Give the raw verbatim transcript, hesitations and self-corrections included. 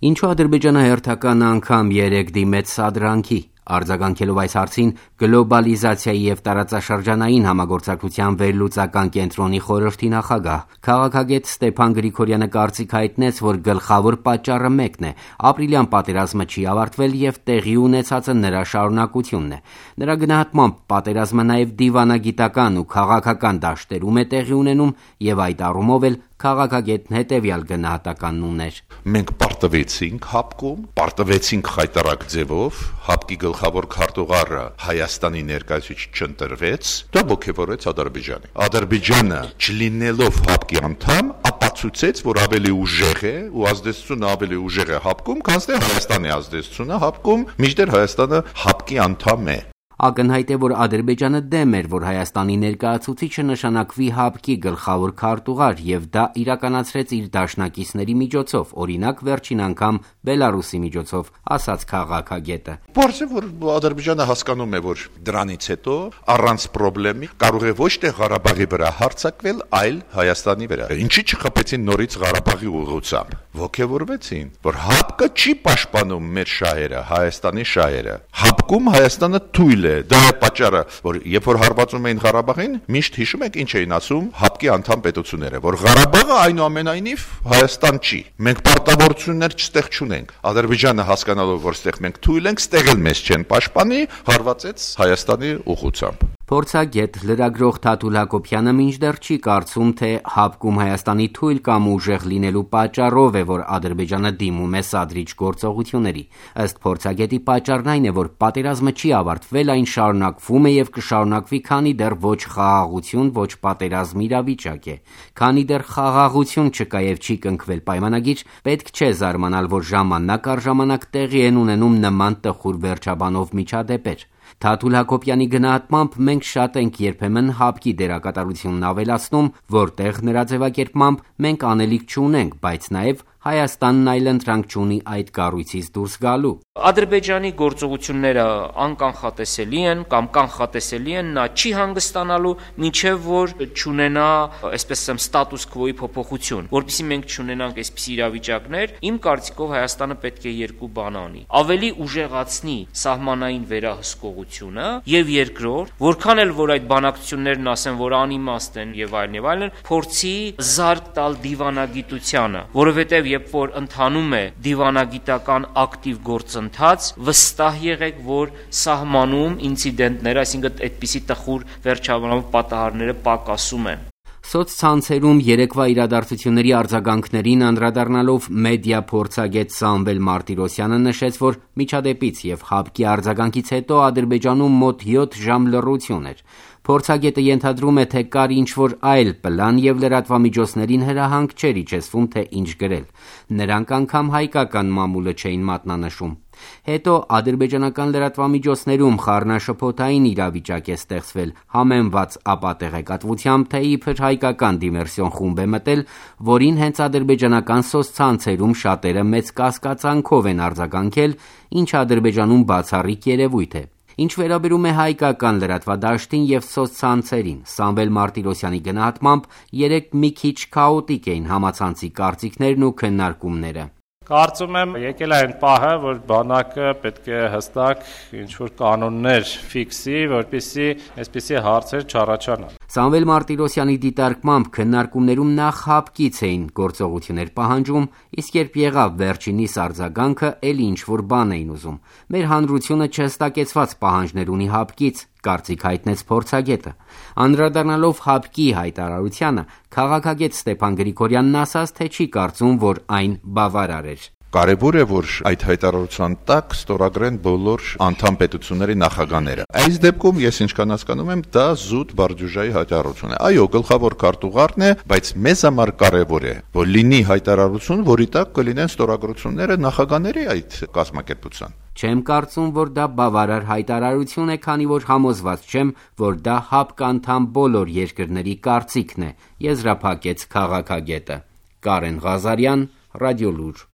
Ինչու Ադրբեջանը հերթական անգամ երեք դիմեց սադրանքի։ Արձագանքելով այս հարցին գլոբալիզացիայի և տարածաշրջանային համագործակցության վերլուծական կենտրոնի խորհրդի նախագահ, քաղաքագետ Ստեփան Գրիգորյանը կարծիք հայտնեց, որ գլխավոր պատճառը մեկն է՝ ապրիլյան պատերազմը չի ավարտվել և տեղի ունեցածը նրա շարունակությունն է։ Նրա գնահատմամբ պատերազմը նաև դիվանագիտական ու քաղաքական դաշտերում է տեղի ունենում և այդ առումով էլ քաղաքագետն հետևյալ գնահատականն ուներ. Մենք պարտվեցինք հապկում, պարտվեցինք խայտառակ ձևով, հապկի գլխավոր քարտուղարը Հայաստանի ներկայացուցիչ չընտրվեց, դա ոգևորեց Ադրբեջանը։ Ադրբեջանը չլինելով հապկի անդամ, ապացուցեց, որ ավելի ուժեղ է ու ազդեցությունը ավելի ուժեղ է հապկում, քան թե Հայաստանի ազդեցությունը հապկում, մինչդեռ Հայաստանը հապկի անդամ է։ Ակնհայտ է, որ Ադրբեջանը դեմ էր, որ Հայաստանի ներկայացուցիչը նշանակվի հապկի գլխավոր քարտուղար և դա իրականացրեց իր դաշնակիցների միջոցով, օրինակ վերջին անգամ Բելարուսի միջոցով, ասաց քաղաքագետը։ Պարզ է, որ Ադրբեջանը հասկանում է, որ դրանից հետո առանց պրոբլեմի կարող է ոչ թե Ղարաբաղի վրա հարձակվել, այլ Հայաստանի վրա։ Ինչի չխփեցին նորից Ղարաբաղի ուղղությամբ։ Ոգևորվեցին, որ հապկը չի պաշտպանում մեր շահերը, Հայաստանի շահերը։ Հապկում Հայաստանը թույլ է։ Դա է պատճառը, որ երբ որ հարվածում էին Ղարաբաղին, միշտ հիշում եք ինչ էին ասում հապկի անդամ պետությունները, որ Ղարաբաղը այնուամենայնիվ Հայաստան չի։ Մենք պարտավորություններ չստեղ չունենք։ Ադրբեջանը հասկանալով, որ ստեղ մենք թույլ ենք, ստեղ էլ մեզ չեն պաշտպանի, հարվածեց Հայաստանի ուղղությամբ։ Փորձագետ լրագրող Թաթուլ Հակոբյանը մինչդեռ չի կարծում, թե հապկում Հայաստանի թույլ կամ ուժեղ լինելու պատճառով է, որ Ադրբեջանը դիմում է սադրիչ գործողությունների։ Ըստ փորձագետի պատճառն այն է, որ պատերազմը չի ավարտվել, այն շարունակվում է և կշարունակվի, քանի դեռ ոչ խաղաղություն, ոչ պատերազմ իրավիճակ է։ Քանի դեռ խաղաղություն չկա և չի կնքվել պայմանագիր, պետք չէ զարմանալ, որ ժամանակ առ ժամանակ տեղի են ունենում նման տխուր վերջաբանով միջադեպեր։ Թաթուլ Հակոբյանի գնահատմամբ մենք շատ ենք երբեմն հապկի դերակատարությունն ավելացնում, որտեղ նրա ձևակերպմամբ մենք անելիք չունենք, բայց նաև Հայաստանն այլընտրանք չունի այդ կառույցից դուրս գալու։ Ադրբեջանի գործողությունները անկանխատեսելի են կամ կանխատեսելի են, նա չի հանգստանալու, մինչև որ չունենա, այսպես ասեմ, ստատուս քվոյի փոփոխություն, որպեսզի մենք չունենանք այսպիսի իրավիճակներ, իմ կարծիքով Հայաստանը պետք է երկու բան անի. ավելի ուժեղացնի սահմանային վերահսկողությունը եւ երկրորդ, որքան էլ որ այդ բանակցություններն ասեն, որ անիմաստ են եւ այլն եւ այլն, փորձի զարկ տալ դիվանագիտությանը, որովհետեւ երբ որ ընթանում է դիվանագիտական ակտիվ գործընթաց, վստահ եղեք, որ սահմանում ինցիդենտները, այսինքն այդպիսի տխուր վերջաբանով պատահարները պակասում են։ Սոցցանցերում երեկվա իրադարձությունների արձագանքներին անդրադառնալով մեդիա փորձագետ Սամվել Մարտիրոսյանը նշեց, որ միջադեպից և հապկի արձագանքից հետո Ադրբեջանում մոտ յոթ ժամ լռություն էր։ Փորձագետը ենթադրում է, թե կար ինչ-որ այլ պլան և լրատվամիջոցներին հրահանգ չէր իջեցվում, թե ինչ գրել։ Նրանք անգամ հայկական մամուլը չէին մատնանշում։ Հետո ադրբեջանական լրատվամիջոցներում խառնաշփոթային իրավիճակ է ստեղծվել, համեմված ապատեղեկատվությամբ, թե իբր հայկական դիմերսիոն խումբ է մտել, որին հենց ադրբեջանական սոցցանցերում շատերը մեծ կասկածանքով են արձագանքել, ինչը Ադրբեջանում բացառիկ երևույթ է։ Ինչ վերաբերում է հայկական լրատվադաշտին և սոցցանցերին, Սամվել Մարտիրոսյանի գնահատմամբ երեք մի քիչ քաոտիկ էին համացանցի կարծիքներն ու քննարկումները։ Կարծում եմ եկել է այն պահը, որ բանակը պետք է հստակ ինչ-որ կանոններ ֆիքսի, որպեսզի այսպիսի հարցեր չառաջանան։ Սամվել Մարտիրոսյանի դիտարկմամբ քննարկումներում նախ հապկից էին գործողություններ պահանջում, իսկ երբ եղավ վերջինիս արձագանքը, էլի ինչ-որ բան էին ուզում։ Մեր հանրությունը չհստակեցված պահանջներ ունի հապկից, կարծիք հայտնեց փորձագետը։ Անդրադառնալով հապկի հայտարարությանը, քաղաքագետ Ստեփան Գրիգորյանն ասաց, թե չի կարծում, որ այն բավարար էր։ Կարևոր է, որ այդ հայտարարության տակ ստորագրեն բոլոր անդամ պետությունների նախագահները։ Այս դեպքում ես ինչքան հասկանում եմ, դա զուտ բարձուժայի հայտարարություն է։ Այո, գլխավոր քարտուղարն է, բայց մեզ համար կարևոր է, որ լինի հայտարարություն, որի տակ կլինեն ստորագրությունները նախագահների այդ կազմակերպության։ Չեմ կարծում, որ դա բավարար հայտարարություն է, քանի որ համոզված չեմ, որ դա հապկ անդամ բոլոր երկրների կարծիքն է, եզրափակեց քաղաքագետը։ Կարեն Ղազարյան, Ռադիոլուր։